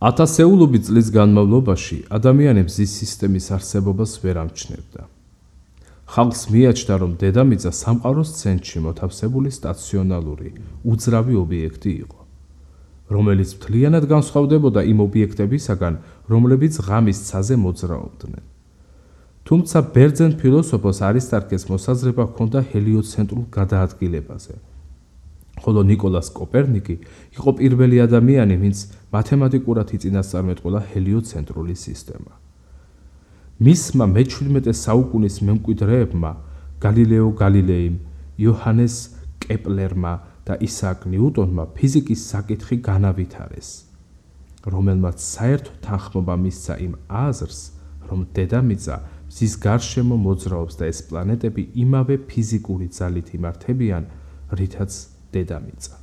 ათასეულობით წლის განმავლობაში ადამიანი მზის სისტემის არსებობას ვერ ამჩნევდა. ხალხს მიაჩნდა, რომ დედამიწა სამყაროს ცენტრში მოთავსებული სტაციონალური, უძრავი ობიექტი იყო, რომელიც მთლიანად განსხვავდებოდა იმ ობიექტებისაგან, რომლებიც ღამის ცაზე მოძრაობდნენ. თუმცა ბერძენ ფილოსოფოს არისტარქეს მოსაზრება ჰქონდა ჰელიოცენტრულ გადაადგილებაზე, ხოლო ნიკოლას კოპერნიკი იყო პირველი ადამიანი, ვინც მათემატიკურად იწინასწარმეტყველა ჰელიოცენტრული სისტემა. მისმა მე-17 საუკუნის მემკვიდრეებმა გალილეო გალილეიმ, იოჰანეს კეპლერმა და ისააკ ნიუტონმა ფიზიკის საკითხი განავითარეს, რომელმაც საერთო თანხმობა მისცა იმ აზრს, რომ დედამიწა მზის გარშემო მოძრაობს და ეს პლანეტები იმავე ფიზიკური ძალით იმართებიან, რითაც დედამიწა.